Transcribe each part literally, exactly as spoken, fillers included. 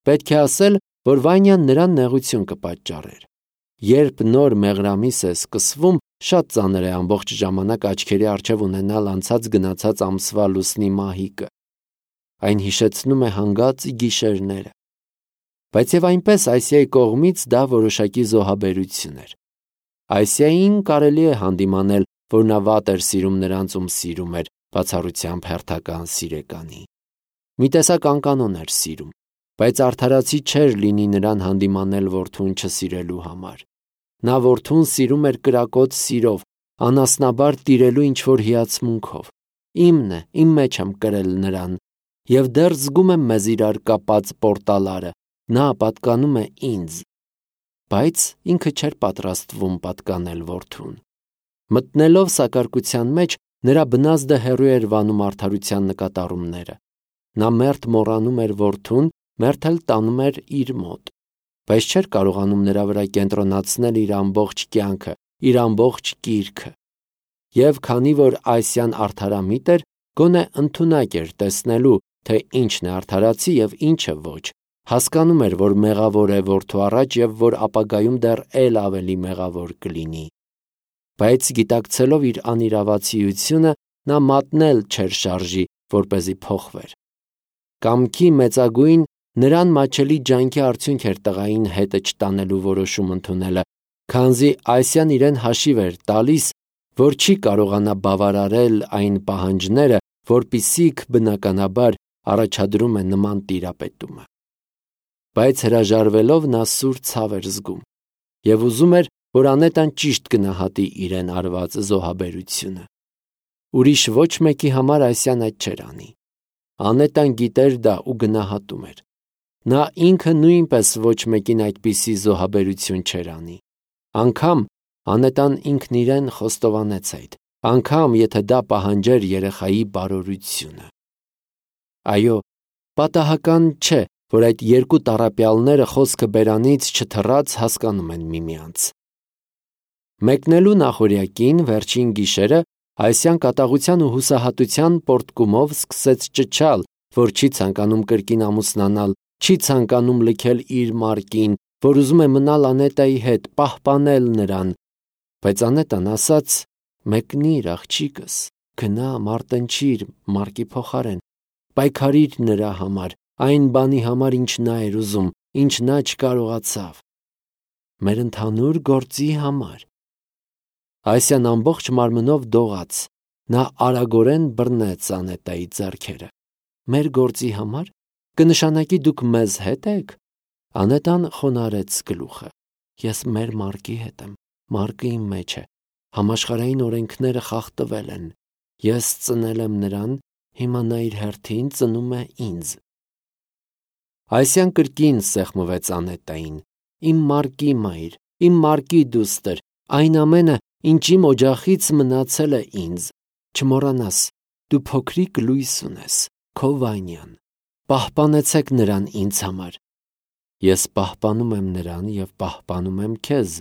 Պետք է ասել, որ Վանյան նրան նեղություն կպատճառեր։ Երբ նոր մեղրամիս է սկսվում, շատ ծանր է ամբողջ ժամանակ աչքերի առջև ունենալ անցած գնացած ամսվա լուսնի մահիկը։ Այն հիշեցնում է հանգած գիշերները։ Բայց եւ այնպես Այսիայի կողմից դա որոշակի զոհաբերություն էր։ Այսիային կարելի է հանդիմանել, որ նա վատ էր սիրում նրանց, ում սիրում էր, բացառությամբ հերթական սիրեկանի։ Մի տեսակ անկանոն էր սիրում, բայց արդարացի չէր լինի նրան հանդիմանել որդուն չսիրելու համար։ Նա որդուն սիրում էր կրակոտ սիրով, անասնաբար տիրելու ինչ-որ հիացմունքով։ Իմն է, իմ մեջ եմ կրել նրան, եւ դեռ զգում եմ մեզ իրար կապած պորտալարը, նա պատկանում է ինձ։ Բայց ինքը չէր պատրաստվում պատկանել որդուն։ Մտնելով սակարկության մեջ, նրա բնազդը հեռու էր վանում արդարության նկատառումները։ Նա մերթ մոռանում էր որդուն, մերթ էլ տանում էր իր մոտ, բայց չէր կարողանում նրա վրա կենտրոնացնել իր ամբողջ կյանքը, իր ամբողջ կիրքը։ Եվ քանի որ Այսիան արդարամիտ էր, գոնե ընդունակ էր տեսնելու, թե ինչն է արդարացի եւ ինչը ոչ, հասկանում էր, որ մեղավոր է որդու առաջ եւ որ ապագայում դեռ էլ ավելի մեղավոր կլինի։ Բայց գիտակցելով իր անիրավացիությունը, նա մատնել չէր շարժի, որպեսզի փոխվեր։ Կամքի մեծագույն նրան մաչելի ջանքի արդյունք էր տղային հետը չտանելու որոշում ընդունելը, քանզի Այսիան իրեն հաշիվ էր տալիս, որ չի կարողանա բավարարել այն պահանջները, որպիսիք բնականաբար առաջադրում է նման տիրապետումը։ Բայց հրաժարվելով նա սուր ցավ էր զգում եւ ուզում էր, որ Անետան ճիշտ գնահատի իրեն արված զոհաբերությունը։ Ուրիշ ոչ մեկի համար Այսիան այդ չէր անի։ Անետան գիտեր դա ու գնահատում էր։ Նա ինքը նույնպես ոչ մեկին այդպիսի զոհաբերություն չէր անի։ Անկամ Անետան ինքն իրեն խոստովանեց այդ, անգամ եթե դա պահանջեր երեխայի բարօրությունը։ Այո, պատահական չէ, որ այդ երկու տառապյալները խոսքը բերանից չթռած հասկանում են միմյանց։ Մեկնելու նախօրյակին վերջին գիշերը Այսիան կատաղության ու հուսահատության պորտկումով սկսեց ճչալ, որ չի ցանկանում կրկին ամուսնանալ, չի ցանկանում լքել իր մարկին, որ ուզում է մնալ Անետայի հետ, պահպանել նրան։ Բայց Անետան ասաց. «Մեկնիր, աղջիկս, գնա մարտնչիր մարկի փոխարեն, պայքարիր նրա համար, այն բանի համար, ինչ նա էր ուզում, ինչ նա չկարողացավ, մեր ընդհանուր գործի համար»։ Այսիան ամբողջ մարմնով դողաց, նա արագորեն բռնեց Անետայի ձեռքերը։ «Մեր գործի համար, կնշանակի դուք մեզ հետ եք»։ Անետան խոնարհեց գլուխը։ «Ես մեր մարկի հետ եմ, մարկը իմ մեջ է, համաշխարհային օրենքները խախտվել են, ես ծնել եմ նրան, հիմա նա իր հերթին ծնում է ինձ»։ Այսիան կրկին սեղմվեց Անետային. «Իմ մարկի մայր, իմ մարկի դուստր, այն ամենը, ինչ իմ օջախից մնացել է ինձ, չմոռանաս, դու փոքրիկ լույս ունես, քո Վանյան, պահպանեցեք նրան ինձ համար»։ «Ես պահպանում եմ նրան և պահպանում եմ քեզ,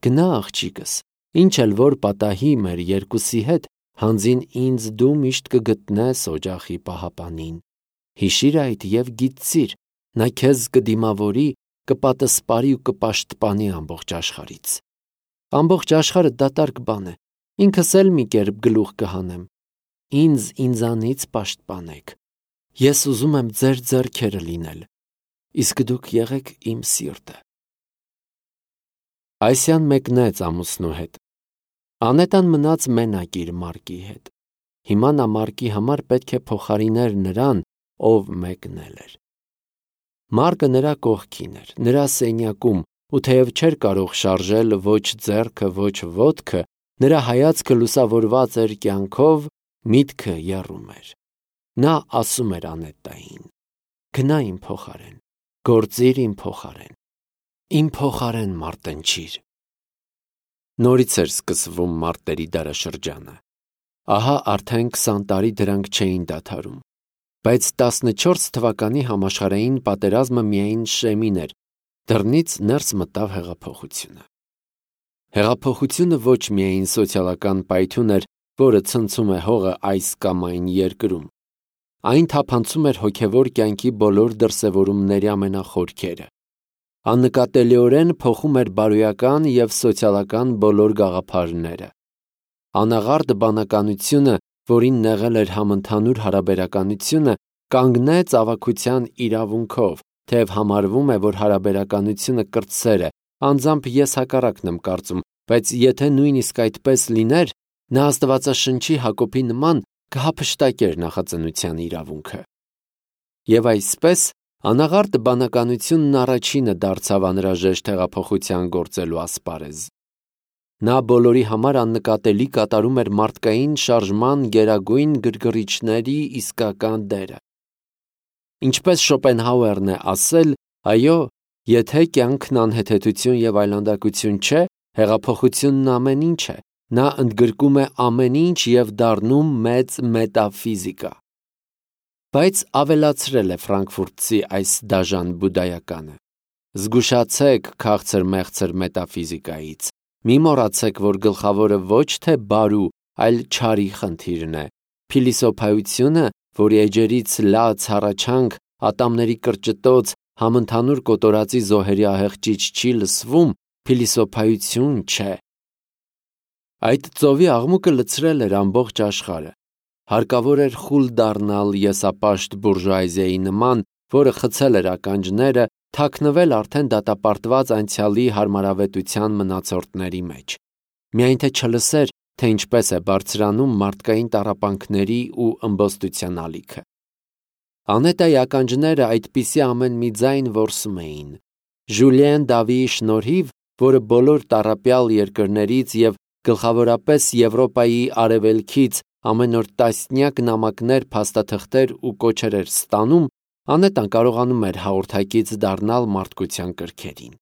գնա աղջիկս, ինչ էլ որ պատահի մեր երկուսի հետ, հանձին ինձ դու միշտ կգտնես օջախի պահապանին։ Հիշիր այդ և գիտցիր, նա քեզ կդիմավորի, կպատսպարի ու կպաշտպանի ամբողջ աշխարհից։ Ամբողջ աշխարհը դատարկ բան է, ինքս էլ մի կերպ գլուխ կհանեմ։ Ինձ ինձանից պաշտպանեք, ես ուզում եմ ձեր ձեռքերը լինել, իսկ դուք եղեք իմ սիրտը»։ Այսիան մեկնեց ամուսնու հետ։ Անետան մնաց մենակ իր մարկի հետ։ Հիմա նա մարկի համար պետք է փոխարիներ նրան, ով մեկնել էր։ Մարկը նրա կողքին էր, նրա սենյակում, ու թեև չէր կարող շարժել ոչ ձեռքը, ոչ ոտքը, նրա հայացքը լուսավորված էր կյանքով, միտքը եռում էր։ Նա ասում էր Անետային. «Գնա իմ փոխարեն, գործիր իմ փոխարեն, իմ փոխարեն մարտնչիր»։ Նորից էր սկսվում մարտերի դարաշրջանը։ Ահա արդեն քսան տարի դրանք չէին դադարում։ Բայց տասնչորս թվականի համաշխարհային պատերազմը միայն շեմին էր, դռնից ներս մտավ հեղափոխությունը։ Հեղափոխությունը ոչ միայն սոցիալական պայթյուն էր, որը ցնցում է հողը այս կամ այն երկրում։ Այն թափանցում էր հոգևոր կյանքի բոլոր դրսևորումների ամենախորքերը։ Աննկատելիորեն փոխում էր բարոյական և սոցիալական բոլոր գաղափարները։ Անաղարտ բանականությունը, որին նեղել էր համընդհանուր հարաբերականությունը, կանգնեց ավագության իրավունքով, թեև համարվում է, որ հարաբերականությունը կրտսեր է, անձամբ ես հակառակն եմ կարծում, բայց եթե նույնիսկ այդպես լիներ, նա Աստվածաշնչի Հակոբի նման կհափշտակեր նախածնության իրավունքը։ Եվ այսպես, անաղարտ բանականությունն առաջինը դարձավ անհրաժեշտ հեղափոխության գործելու ասպարեզ։ Նա բոլորի համար աննկատելի կատարում էր մարդկային շարժման գերագույն գրգռիչների իսկական դերը։ Ինչպես Շոպենհաուերն է ասել, այո, եթե կյանքն անհեթեթություն և այլանդակություն չէ, հեղափոխությունն ամեն ինչ է, նա ընդգրկում է ամեն ինչ և դառնում մեծ մետաֆիզիկա։ Բայց ավելացրել է ֆրանկֆուրտցի այս դաժան բուդայականը. զգուշացեք քաղցր-մեղցր մետաֆիզիկայից, մի մոռացեք, որ գլխավորը ոչ թե բարու, այլ չարի խնդիրն է։ Փիլիսոփայությունը, որի էջերից լաց հառաչանք, ատամների կրճտոց, համընդհանուր կոտորածի զոհերի ահեղջիչ չի լսվում, փիլիսոփայություն չէ։ Այդ ծովի աղմուկը լցրել էր ամբողջ աշխարհը։ Հարկավոր էր խուլ դառնալ եսապաշտ բուրժուազիայի նման, որը խցել էր ականջները, թաքնվել արդեն դատապարտված անցյալի հարմարավետության մնացորդների մեջ։ Միայն թե չլսեր, թե ինչպես է բարձրանում մարդկային տառապանքների ու ըմբոստության ալիքը։ Անետայի ականջները այդպիսի ամեն մի ձայն որսում էին։ Ժուլիեն Դավիի շնորհիվ, որը բոլոր տառապյալ երկրներից և գլխավորապես Եվրոպայի արևելքից ամեն օր տասնյակ նամակներ, փաստաթղթեր ու կոչեր էր ստանում, Անետան կարողանում էր հաղորդակից դառնալ մարդկության կրքերին։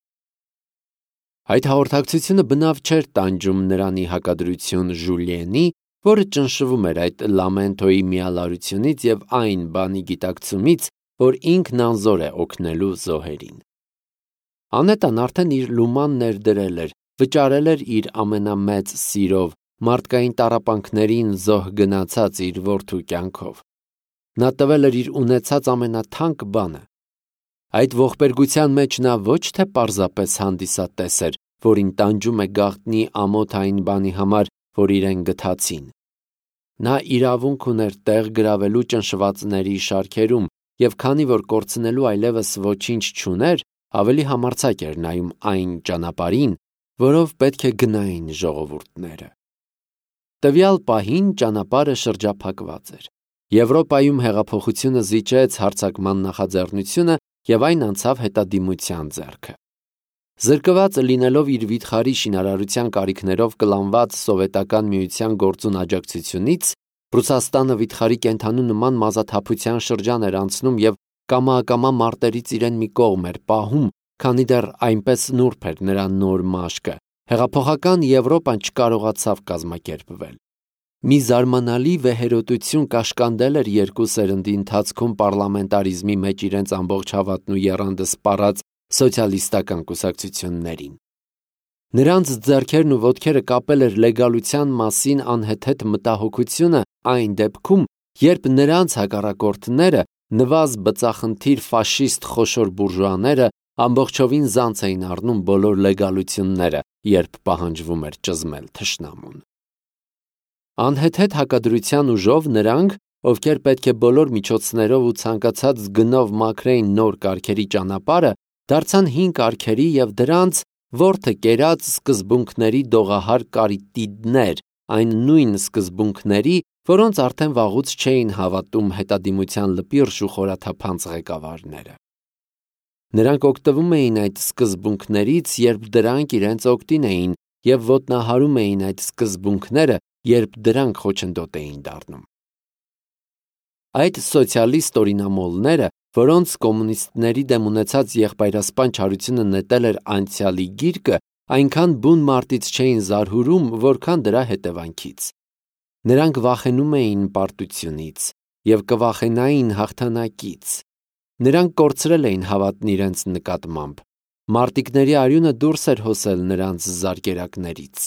Այդ հաղորդակցությունը բնավ չէր տանջում նրան ի հակադրություն Ժուլիենի, որը ճնշվում էր այդ լամենտոյի միալարությունից և այն բանի գիտակցումից, որ ինքն անզոր է օգնելու զոհերին։ Անետան արդեն իր լուման ներդրել էր, վճարել էր իր ամենամեծ սիրով, մարդկային տառապանքներին զոհ գնացած իր որդու կյանքով։ Նա տվել էր իր ունեցած ամենաթանկ բանը։ Այդ ողբերգության մեջ նա ոչ թե պարզապես հանդիսատես էր, որին տանջում է գաղտնի ամոթ այն բանի համար, որ իրեն գթացին։ Նա իրավունք ուներ տեղ գրավելու ճնշվածների շարքերում, և քանի որ կորցնելու այլևս ոչինչ չուներ, ավելի համարձակ էր նայում այն ճանապարհին, որով պետք է գնային ժողովուրդները։ Տվյալ պահին ճանապարհը շրջափակված էր։ Եվրոպայում հեղափոխությունը զիջեց հարձակման նախաձեռնությունը և այն անցավ հետադիմության ձեռքը։ Զրկված լինելով իր վիթխարի շինարարության կարիքներով կլանված Սովետական Միության գործուն աջակցությունից, Ռուսաստանը վիթխարի կենդանու նման մազաթափության շրջան էր անցնում և կամա-ակամա մարտերից իրեն մի կողմ էր պահում, քանի դեռ այնպես նուրբ էր նրա նոր մաշկը, հեղափոխական Եվրոպան չկարողացավ կազմակերպվել։ Մի զարմանալի վեհերոտություն կաշկանդել էր երկու սերնդի ընթացքում պարլամենտարիզմի մեջ իրենց ամբողջ հավատն ու եռանդը սպառած սոցիալիստական կուսակցություններին։ Նրանց ձեռքերն ու ոտքերը կապել էր լեգալության մասին անհեթեթ մտահոգությունը այն դեպքում, երբ նրանց հակառակորդները, նվազ բծախնդիր ֆաշիստ խոշոր բուրժուաները, ամբողջովին զանց էին առնում բոլոր լեգալությունները, երբ պահանջվում էր ճզմել թշնամուն։ Անհեթեթ հակադրության ուժով նրանք, ովքեր պետք է բոլոր միջոցներով ու ցանկացած գնով մաքրեին նոր կարգերի ճանապարհը, դարձան հին կարգերի և դրանց որդը կերած սկզբունքների դողահար կարիատիդներ, այն նույն սկզբունքների, որոնց արդեն վաղուց չէին հավատում հետադիմության լպիրշ ու խորաթափանց ղեկավարները։ Նրանք օգտվում էին այդ սկզբունքներից, երբ դրանք իրենց օգտին էին, և ոտնահարում էին այդ սկզբունքները, երբ դրանք խոչընդոտ էին դառնում։ Այդ սոցիալիստ օրինամոլները, որոնց կոմունիստների դեմ ունեցած եղբայրասպան չարությունը նետել էր անցյալի գիրկը, այնքան բուն մարտից չէին զարհուրում, որքան դրա հետևանքից։ Նրանք վախենում էին պարտությունից և կվախենային հաղթանակից։ Նրանք կորցրել էին հավատն իրենց նկատմամբ։ Մարտիկների արյունը դուրս էր հոսել նրանց զարկերակներից։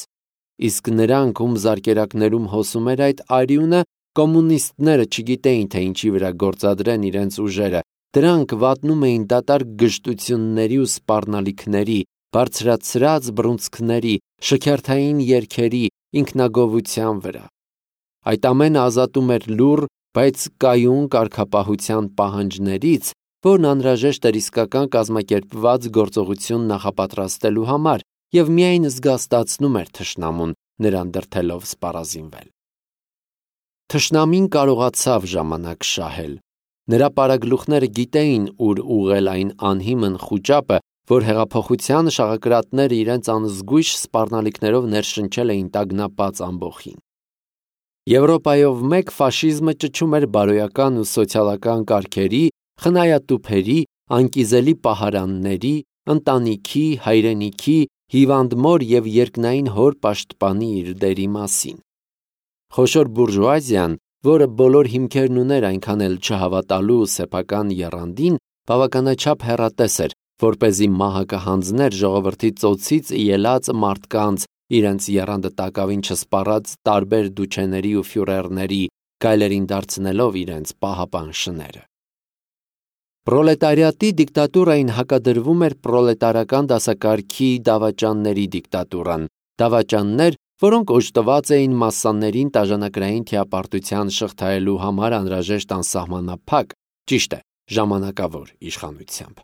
Իսկ նրանք, ում զարկերակներում հոսում էր այդ արյունը, Կոմունիստները չգիտեին, թե ինչի վրա գործադրեն իրենց ուժերը, դրանք վատնում էին դատարկ գժտությունների ու սպառնալիքների, բարձրացրած բռունցքների, շքերթային երգերի, ինքնագովության վրա։ Այդ ամենը ազատում էր լուռ, բայց կայուն կարգապահության պահանջներից, որն անհրաժեշտ էր իսկական կազմակերպված գործողություն նախապատրաստելու համար և միայն զգաստացնում էր թշնամուն, նրան դրդելով սպառազինվել։ Թշնամին կարողացավ ժամանակ շահել։ Նրա պարագլուխները գիտեին ուր ուղղել այն անհիմն խուճապը, որ հեղափոխության շաղակրատները իրենց անզգույշ սպառնալիքներով ներշնչել էին տագնապած ամբոխին։ Եվրոպայով մեկ ֆաշիզմը ճչում էր բարոյական ու սոցիալական կարգերի, խնայատուփերի, անկիզելի պահարանների, ընտանիքի, հայրենիքի, հիվանդ մոր և երկնային հոր պաշտպանի իր դերի մասին։ Խոշոր բուրժուազիան, որը բոլոր հիմքերն ուներ այնքան էլ չհավատալու սեփական եռանդին, բավականաչափ հեռատես էր, որպեսզի մահը կհանձներ ժողովրդի ծոցից ելած մարդկանց, իրենց եռանդը տակավին չսպառած տարբեր դուչեների ու ֆյուրերների, գայլերին դարձնելով իրենց պահապան շները։ Պրոլետարիատի դիկտատուրային հակադրվում էր պրոլետարական դասակարգի դավաճանների դիկտատուրան, դավաճաններ, որոնք օժտված էին մասսաներին տաժանակրային թիապարտության շղթայելու համար անհրաժեշտ անսահմանափակ, ճիշտ է, ժամանակավոր իշխանությամբ։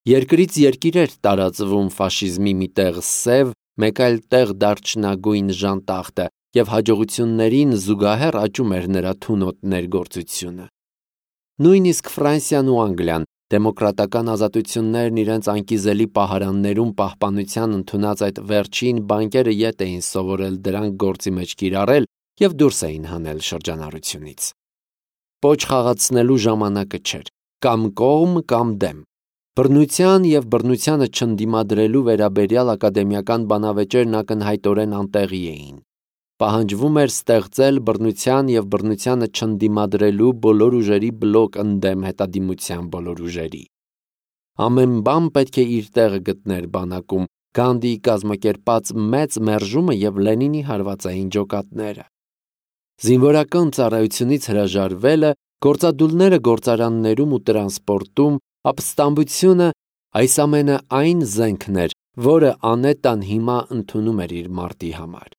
Երկրից երկիր էր տարածվում ֆաշիզմի մի տեղ սև, մեկ այլ տեղ դարչնագույն ժանտախտը և հաջողություններին զուգահեռ աճում էր նրա թունոտ ներգործությունը։ Նույնիսկ Ֆրանսիան ու Անգլիան, դեմոկրատական ազատություններն իրենց անկիզելի պահարաններում պահպանության ընդունած այդ վերջին բանկերը ետ էին սովորել դրանք գործի մեջ կիրառել և դուրս էին հանել շրջանառությունից։ Պոչ խաղացնելու ժամանակը չէր, կամ կողմ, կամ դեմ։ Բռնության և բռնությանը չընդդիմադրելու վերաբերյալ ակադեմիական բանավեճերն ակնհայտորեն անտեղի էին։ Պահանջվում էր ստեղծել բռնության և բռնությանը չընդդիմադրելու բոլոր ուժերի բլոկ ընդդեմ հետադիմության բոլոր ուժերի։ Ամեն բան պետք է իր տեղը գտներ բանակում, Գանդիի կազմակերպած մեծ մերժումը և Լենինի հարվածային ջոկատները։ Զինվորական ծառայությունից հրաժարվելը, գործադուլները գործարաններում ու տրանսպորտում, ապստամբությունը, այս ամենը այն զենքն էր, որը Անետան հիմա ընդունում էր իր մարտի համար։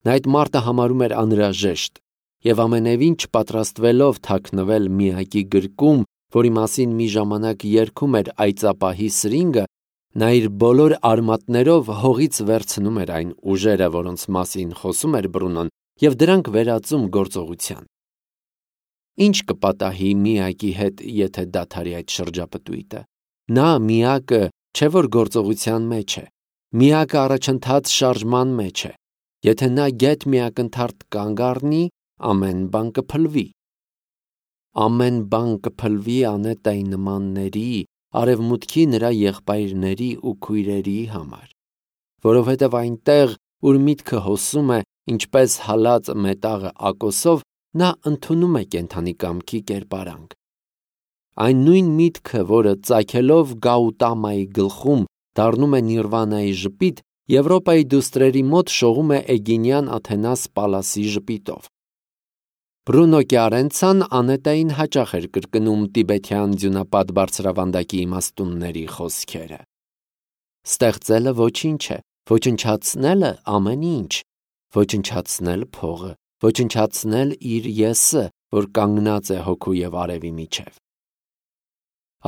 Նա այդ մարտը համարում էր անհրաժեշտ և ամենևին չպատրաստվելով թաքնվել միակի գրկում, որի մասին մի ժամանակ երգում էր այծապահի սրինգը, նա իր բոլոր արմատներով հողից վերցնում էր այն ուժերը, որոնց մասին խոսում էր Բրունոն, և դրանք վերածում գործողության։ Ինչ կպատահի միակի հետ, եթե դադարի այդ շրջապտույտը։ Նա միակը չէ, որ գործողության մեջ է, միակը առաջընթաց շարժման մեջ է։ Եթե նա գեթ մի ակնթարթ կանգ առնի, ամեն բան կփլվի։ Ամեն բան կփլվի Անետայի նմանների, արևմուտքի նրա եղբայրների ու քույրերի համար, որովհետև այնտեղ, ուր միտքը հոսում է, ինչպես հալած մետաղը ակոսով, նա ընդունում է կենդանի կամքի կերպարանք։ Այն նույն միտքը, որը ծագելով Գաուտամայի գլխում դառնում է Նիրվանայի ժպիտ, Եվրոպայի դուստրերի մոտ շողում է Էգինյան Աթենաս Պալասի ժպիտով։ Բրունո Կյարենցան Անետային հաճախ էր կրկնում տիբեթյան ձյունապատ բարձրավանդակի իմաստունների խոսքերը։ Ստեղծելը ոչինչ է, ոչնչացնելը ամեն ինչ, ոչնչացնել փողը, ոչնչացնել իր եսը, որ կանգնած է հոգու և արևի միջև։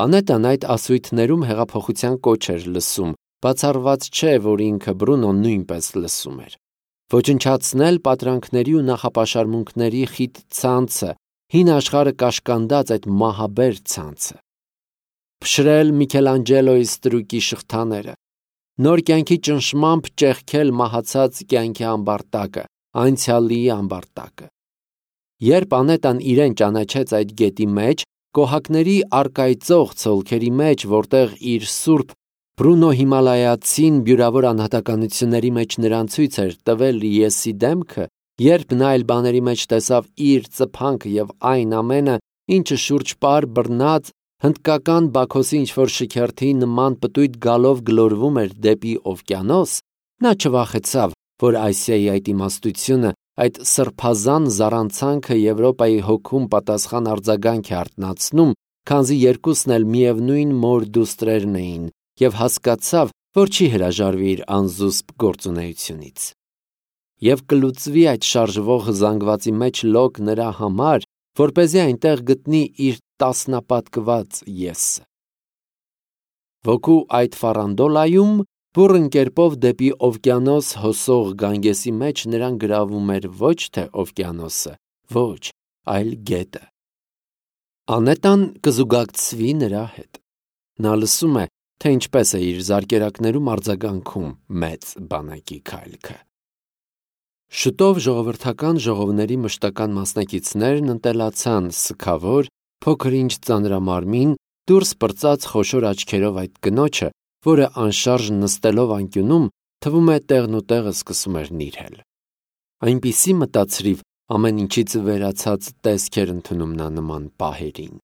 Անետան այդ ասույթներում հեղափոխության կոչ էր լսում, բացառված չէ, որ ինքը Բրունոն նույնպես լսում էր։ Ոչնչացնել պատրանքների ու նախապաշարմունքների խիտ ցանցը, հին աշխարհը կաշկանդած այդ մահաբեր ցանցը։ Փշրել Միքելանջելոյի ստրուկի շղթաները, նոր կյանքի ճնշմամբ ճեղքել մահացած կյանքի ամբարտակը, անցյալի ամբարտակը։ Երբ Անետան իրեն ճանաչեց այդ գետի մեջ, կոհակների առկայծող ցոլքերի մեջ, որտեղ իր սուրբ Բրունո Հիմալայացին բյուրավոր անհատականությունների մեջ նրան ցույց էր տվել եսի դեմքը, երբ նա այլ բաների մեջ տեսավ իր ծփանքը և այն ամենը, ինչը շուրջ պար բռնած, հնդկական Բաքոսի ինչ-որ շքերթի նման պտույտ գալով գլորվում էր դեպի օվկիանոս, նա չվախեցավ, որ Ասիայի այդ իմաստությունը այդ սրբազան զառանցանքը Եվրոպայի հոգում պատասխան արձագանք է արթնացնում, քանզի երկուսն էլ միևնույն մոր դուստրերն էին, և հասկացավ, որ չի հրաժարվի իր անզուսպ գործունեությունից։ Եվ կլուծվի այդ շարժվող զանգվածի մեջ լոկ նրա համար, որպեսզի այնտեղ գտնի իր տասնապատկված եսը։ Ոգու այդ ֆարանդոլայում բուռն կերպով դեպի օվկիանոս հոսող գանգեսի մեջ նրան գրավում էր ոչ թե օվկիանոսը, ոչ, այլ գետը։ Անետան կզուգակցվի նրա հետ։ Նա լսում է, թե ինչպես է իր զարկերակներում արձագանքում մեծ բանակի քայլքը։ Շուտով ժողովրդական ժողովների մշտական մասնակիցներն ընտելացան սգավոր, փոքր-ինչ ծանրամարմին, դուրս պրծած խոշոր աչքերով այդ կնոջը, որը անշարժ նստելով անկյունում, թվում է տեղնուտեղը սկսում էր նիրհել։ Այնպիսի մտածրիվ ամեն ինչից վերացած տեսք էր ընդունում նա նման պահերին։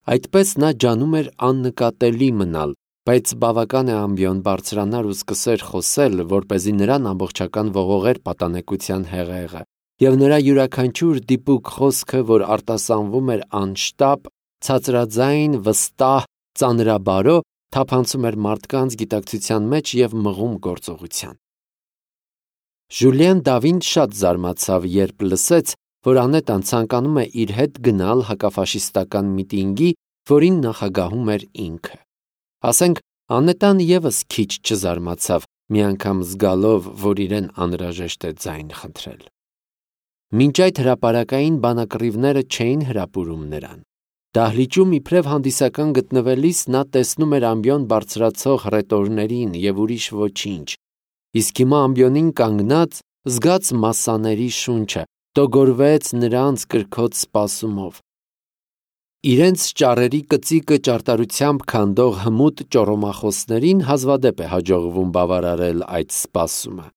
Այդպես նա ջանում էր աննկատելի մնալ, բայց բավական է ամբիոն բարձրանար ու սկսեր խոսել, որպեսզի նրան ամբողջական ողողեր պատանեկության հեղեղը, և նրա յուրաքանչյուր դիպուկ խոսքը, որ արտասանվում էր անշտապ, ցածրաձայն, վստահ, ծանրաբարո, թափանցում էր մարդկանց գիտակցության մեջ և մղում գործողության։ Ժուլիեն Դավին շատ զարմացավ, երբ լսեց, որ Անետան ցանկանում է իր հետ գնալ հակաֆաշիստական միտինգի, որին նախագահում էր ինքը։ Ասենք, Անետան ևս քիչ չզարմացավ, մի անգամ զգալով, որ իրեն անհրաժեշտ է ձայն խնդրել։ Մինչ այդ հրապարակային բանակռիվները չէին հրապուրում նրան։ Դահլիճում իբրև հանդիսական գտնվելիս նա տեսնում էր ամբիոն բարձրացող հռետորներին և ուրիշ ոչինչ, իսկ հիմա ամբիոնին կանգնած, զգաց մասսաների շունչը, տոգորվեց նրանց կրքոտ սպասումով։ Իրենց ճառերի կծիկը ճարտարությամբ քանդող հմուտ ճոռոմախոսներին հազվադեպ է հաջողվում բավարարել այդ սպասումը։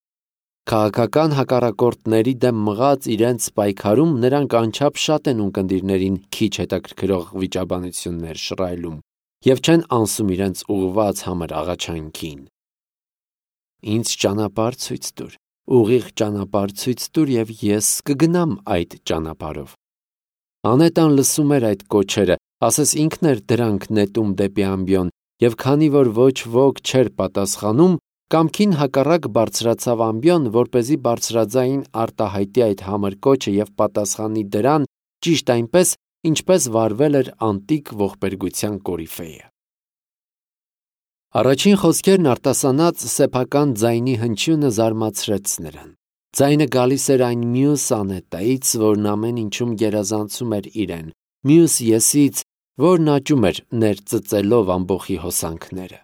Քաղաքական հակառակորդների դեմ մղած իրենց պայքարում նրանք անչափ շատ են ունկնդիրներին քիչ հետաքրքրող վիճաբանություններ շռայլում և չեն անսում իրենց ուղղված համր աղաչանքին։ Ինձ ճանապարհ ցույց տուր, ուղիղ ճանապարհ ցույց տուր, և ես կգնամ այդ ճանապարհով։ Անետան լսում էր այդ կոչերը, ասես ինքն էր դրանք նետում դեպի ամբիոն, և քանի որ ոչ ոք չէր պատասխանում, կամքին հակառակ բարձրացավ ամբիոն, որպեսզի բարձրաձայն արտահայտի այդ համր կոչը և պատասխանի դրան ճիշտ այնպես, ինչպես վարվել էր անտիկ ողբերգության կորիֆեյը։ Առաջին խոսքերն արտասանած սեփական ձայնի հնչյունը զարմացրեց նրան։ Ձայնը գալիս էր այն մյուս Անետայից, որն ամեն ինչում գերազանցում էր իրեն, մյուս եսից, որն աճում էր ներծծելով ամբոխի հոսանքները։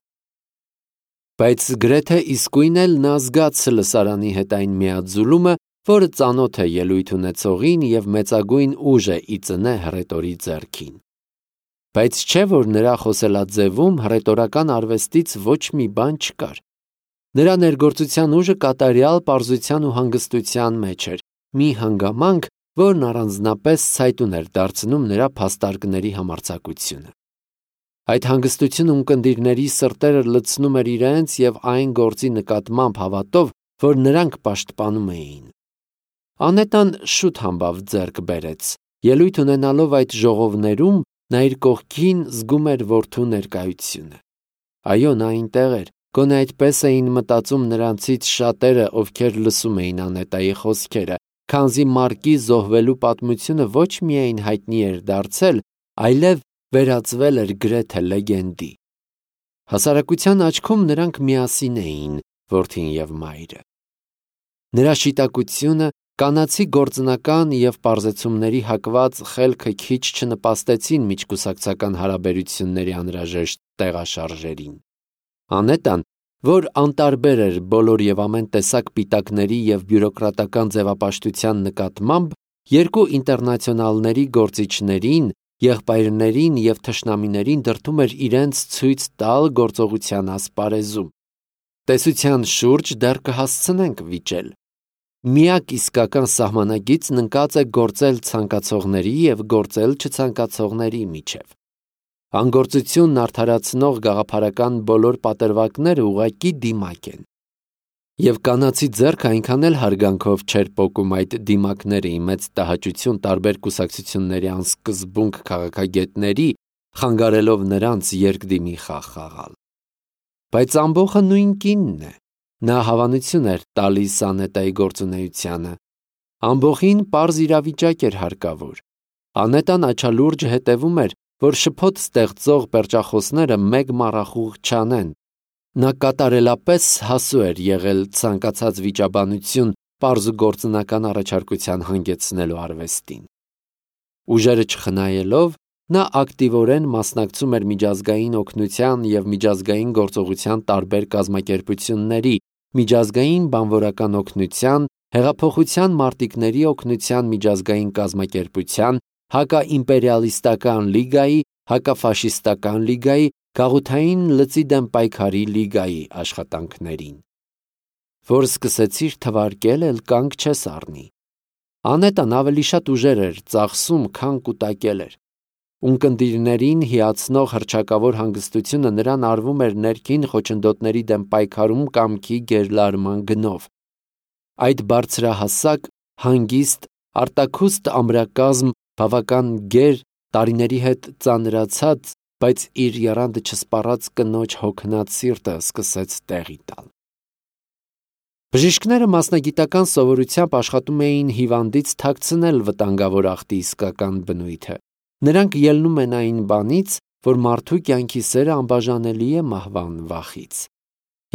Բայց գրեթե իսկույն էլ նա զգաց լսարանի հետ այն միաձուլումը, որը ծանոթ է ելույթ ունեցողին և մեծագույն ուժ է ի ծնե հռետորի ձեռքին։ Բայց չէ, որ նրա խոսելաձևում հռետորական արվեստից ոչ մի բան չկար։ Նրա ներգործության ուժը կատարյալ պարզության ու հանգստության մեջ էր, մի հանգամանք, որն առանձնապես ցայտուն էր դարձնում նրա փաստարկների համարձակությունը։ Այդ հանգստությունը ունկնդիրների սրտերը լցնում էր իրենց և այն գործի նկատմամբ հավատով, որ նրանք պաշտպանում էին։ Անետան շուտ համբավ ձեռք բերեց։ Ելույթ ունենալով այդ ժողովներում, նա իր կողքին զգում էր որդու ներկայությունը։ Այո, նա այնտեղ էր, գոնե այդպես էին մտածում նրանցից շատերը, ովքեր լսում էին Անետայի խոսքերը, քանզի Մարկի զոհվելու պատմությունը ոչ միայն հայտնի էր դարձել, այլև վերածվել էր գրեթե լեգենդի։ Հասարակության աչքում նրանք միասին էին, որդին և մայրը։ Նրա շիտակությունը, կանացի գործնական և պարզեցումների հակված խելքը քիչ չնպաստեցին միջկուսակցական հարաբերությունների անհրաժեշտ տեղաշարժերին։ Անետան, որ անտարբեր էր բոլոր և ամեն տեսակ պիտակների և բյուրոկրատական ձևապաշտության նկատմամբ, երկու ինտերնացիոնալների գործիչներին, եղբայրներին և թշնամիներին դրդում էր իրենց ցույց տալ գործողության ասպարեզում։ Տեսության շուրջ դեռ կհասցնենք վիճել։ Միակ իսկական սահմանագիծն ընկած է գործել ցանկացողների և գործել չցանկացողների միջև։ Անգործությունն արդարացնող գաղափարական բոլոր պատրվակները ուղղակի դիմակ են։ Եվ կանացի ձեռքը այնքան էլ հարգանքով չէր պոկում այդ դիմակները մեծ տհաճություն տարբեր կուսակցությունների անսկզբունք քաղաքագետների, խանգարելով նրանց երկդիմի խաղ խաղալ։ Բայց ամբոխը նույն կինն է, նա հավանություն էր տալիս Անետայի գործունեությանը։ Ամբոխին պարզ իրավիճակ էր հարկավոր։ Անետան աչալուրջ հետևում էր, որ շփոթ ստեղծող պերճախոսները մեկ մառախուղ չանեն։ Նա կատարելապես հասու էր եղել ցանկացած վիճաբանություն պարզ ու գործնական առաջարկության հանգեցնելու արվեստին։ Ուժերը չխնայելով, նա ակտիվորեն մասնակցում էր միջազգային օգնության և միջազգային գործողության տարբեր կազմակերպությունների, միջազգային բանվորական օգնության, հեղափոխության մարտիկների օգնության միջազգային կազմակերպության, հակաիմպերիալիստական լիգայի, հակաֆաշիստական լիգայի, գաղութային լծի դեմ պայքարի լիգայի աշխատանքներին։ Որ սկսեցիր թվարկել, էլ կանգ չես առնի։ Անետան ավելի շատ ուժեր էր ծախսում, քան կուտակել էր։ Ունկնդիրներին հիացնող հռչակավոր հանգստությունը նրան արվում էր ներքին խոչընդոտների դեմ պայքարում կամքի գերլարման գնով։ Այդ բարձրահասակ, հանգիստ, արտաքուստ ամրակազմ, բավական գեր, տարիների հետ ծանրացած, բայց իր եռանդը չսպառած կնոջ հոգնած սիրտը սկսեց տեղի տալ։ Բժիշկները մասնագիտական սովորությամբ աշխատում էին հիվանդից թաքցնել վտանգավոր ախտի իսկական բնույթը։ Նրանք ելնում են այն բանից, որ մարդու կյանքի սերը անբաժանելի է մահվան վախից,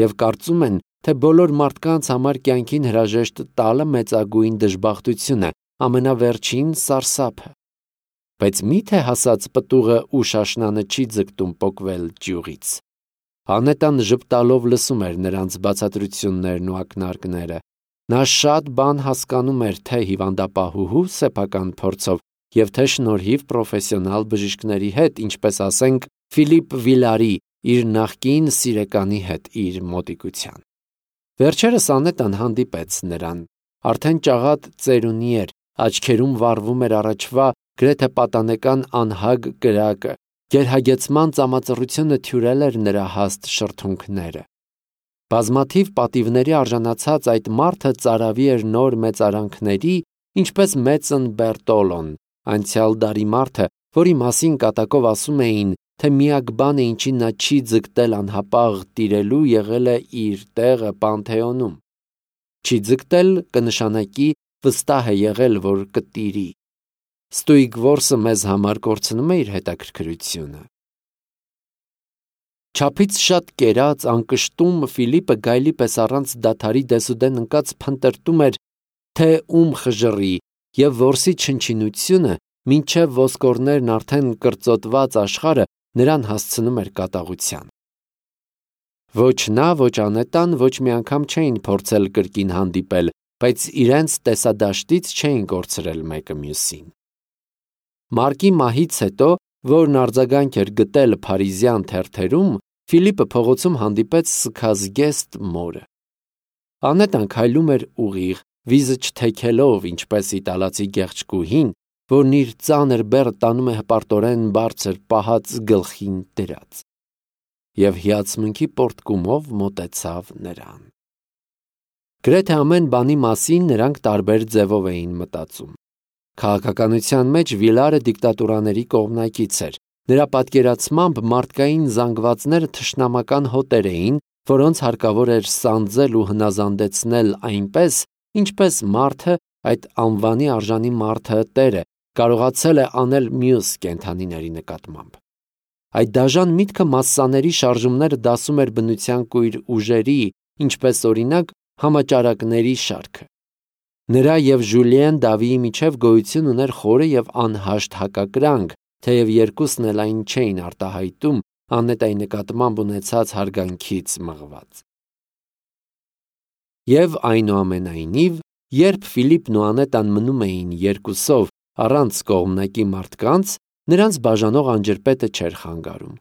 և կարծում են, թե բոլոր մարդկանց համար կյանքին հրաժեշտ տալը մեծագույն դժբախտություն է, ամենավերջին սարսափը։ Բայց մի՞թե հասած պտուղը ու շաշնանը չի ձգտում պոկվել ջյուղից։ Անետան ժպտալով լսում էր նրանց բացատրություններն ու ակնարկները։ Նա շատ բան հասկանում էր թե հիվանդապահուհու սեփական փորձով և թե շնորհիվ պրոֆեսիոնալ բժիշկների հետ, ինչպես ասենք Ֆիլիպ Վիլարի, իր նախկին սիրեկանի հետ իր մոտիկության։ Վերջերս Անետան հանդիպեց նրան։ Արդեն ճաղատ ծերունի էր, աչքերում վառվում էր առաջվա գրեթե պատանեկան անհագ կրակը, գերհագեցման ծամածռությունը թյուրել էր նրա հաստ շրթունքները։ Բազմաթիվ պատիվների արժանացած այդ մարդը ծարավի էր նոր մեծարանքների, ինչպես մեծն Բերտոլոն, անցյալ դարի մարդը, որի մասին կատակով ասում էին, թե միակ բանը, ինչին նա չի ձգտել անհապաղ տիրելու, եղել է իր տեղը Պանթեոնում։ Չի ձգտել կնշանակի վստահ է եղել, որ կտիրի։ Ստույգ որսը մեզ համար կորցնում է իր հետաքրքրությունը։ Չափից շատ կերած, անկշտում Ֆիլիպը գայլի պես առանց դադարի դեսուդեն ընկած փնտրտում էր, թե ում խժռի, և որսի չնչինությունը, մինչև ոսկորներն արդեն կրծոտված աշխարհը նրան հասցնում էր կատաղության։ Ոչ նա, ոչ Անետան ոչ մի անգամ չէին փորձել կրկին հանդիպել, բայց իրենց տեսադաշտից չէին կորցրել մեկը մյուսին։ Մարկի մահից հետո, որն արձագանք էր գտել փարիզյան թերթերում, Ֆիլիպը փողոցում հանդիպեց սգազգեստ մորը։ Անետան քայլում էր ուղիղ, վիզը չթեքելով, ինչպես իտալացի գեղեցկուհին, որն իր ծանր բեռը տանում է հպարտորեն բարձր պահած գլխին դրած, և հիացմունքի պոռթկումով մոտեցավ նրան։ Գրեթե ամեն բանի մասին նրանք տարբեր ձևով էին մտածում։ Քաղաքականության մեջ Վիլարը դիկտատուրաների կողմնակից էր։ Նրա պատկերացմամբ մարդկային զանգվածները թշնամական հոտեր էին, որոնց հարկավոր էր սանձել ու հնազանդեցնել այնպես, ինչպես մարդը, այդ անվանի արժանի մարդը տերը, կարողացել է անել մյուս կենդանիների նկատմամբ։ Այդ դաժան միտքը մասսաների շարժումները դասում էր բնության կույր ուժերի, ինչպես օրինակ համաճարակների շարքը։ Նրա և Ժուլիեն Դավիի միջև գոյություն ուներ խորը և անհաշտ հակակրանք, թեև երկուսն էլ այն չէին արտահայտում Անետայի նկատմամբ ունեցած հարգանքից մղված։ Եվ այնուամենայնիվ, երբ Ֆիլիպն ու Անետան մնում էին երկուսով առանց կողմնակի մարդկանց, նրանց բաժանող անջրպետը չէր խանգարում։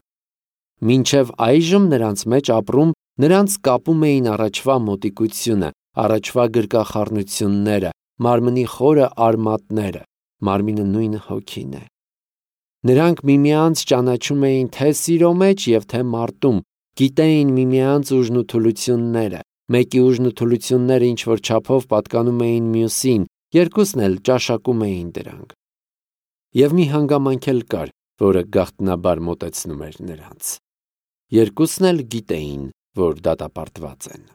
Մինչև այժմ նրանց մեջ ապրում, նրանց կապում էին առաջվա մոտիկությունը, առաջվա գրկախառնությունները, մարմնի խորը արմատները, մարմինը նույն հոգին է։ Նրանք միմյանց ճանաչում էին թե սիրո մեջ և թե մարտում, գիտեին միմյանց ուժն ու թուլությունները, Մեկի ուժն ու թուլությունները ինչ-որ չափով պատկանում էին մյուսին, երկուսն էլ ճաշակում էին դրանք։ Եվ մի հանգամանք էլ կար, որը գաղտնաբար մոտեցնում էր նրանց։ Երկուսն էլ գիտեին, որ դատապարտված են։